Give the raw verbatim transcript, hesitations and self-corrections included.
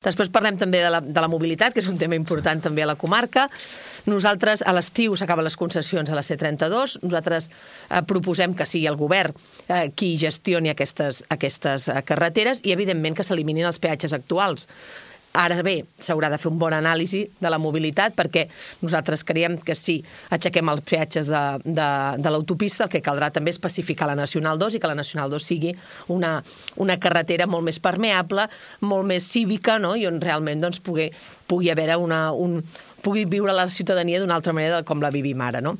Després parlem també de la, de la mobilitat, que és un tema important també a la comarca. Nosaltres, a l'estiu s'acaben les concessions a la C trenta-dos. Nosaltres eh, proposem que sigui el govern eh, qui gestioni aquestes, aquestes eh, carreteres i, evidentment, que s'eliminin els peatges actuals. Ara bé, s'haurà de fer un bon anàlisi de la mobilitat perquè nosaltres creiem que si aixequem els peatges de, de, de l'autopista, el que caldrà també és pacificar la Nacional dos i que la Nacional dos sigui una, una carretera molt més permeable, molt més cívica, no? I on realment doncs, pugui, pugui haver una, un, pugui viure la ciutadania d'una altra manera com la vivim ara, no?